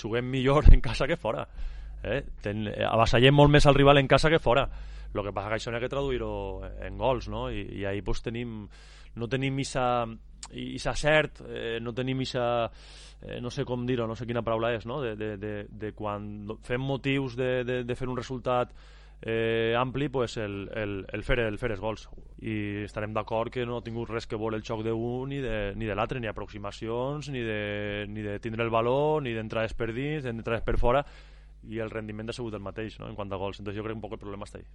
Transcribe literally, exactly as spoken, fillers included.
juguem millor en casa que fora. Eh? Ten, avassallem molt més al rival en casa que fora. El que passa que això n'hi ha que traduir-ho en gols, no? I, i ahir pues, tenim, no tenim isa, isa cert, eh, no tenim isa, eh, no sé com dir-ho, no sé quina paraula és, no? De, de, de, de quan fem motius de, de, de fer un resultat eh, ampli, pues el, el, el, fer, el fer els gols. I estarem d'acord que no ha tingut res que vol el xoc d'un ni de, ni de l'altre, ni aproximacions, ni de, ni de tindre el valor, ni d'entrades per dins, d'entrades per fora, i el rendiment ha sigut el mateix, no? En quant a gols. Entonces jo crec que un poc el problema està ahí.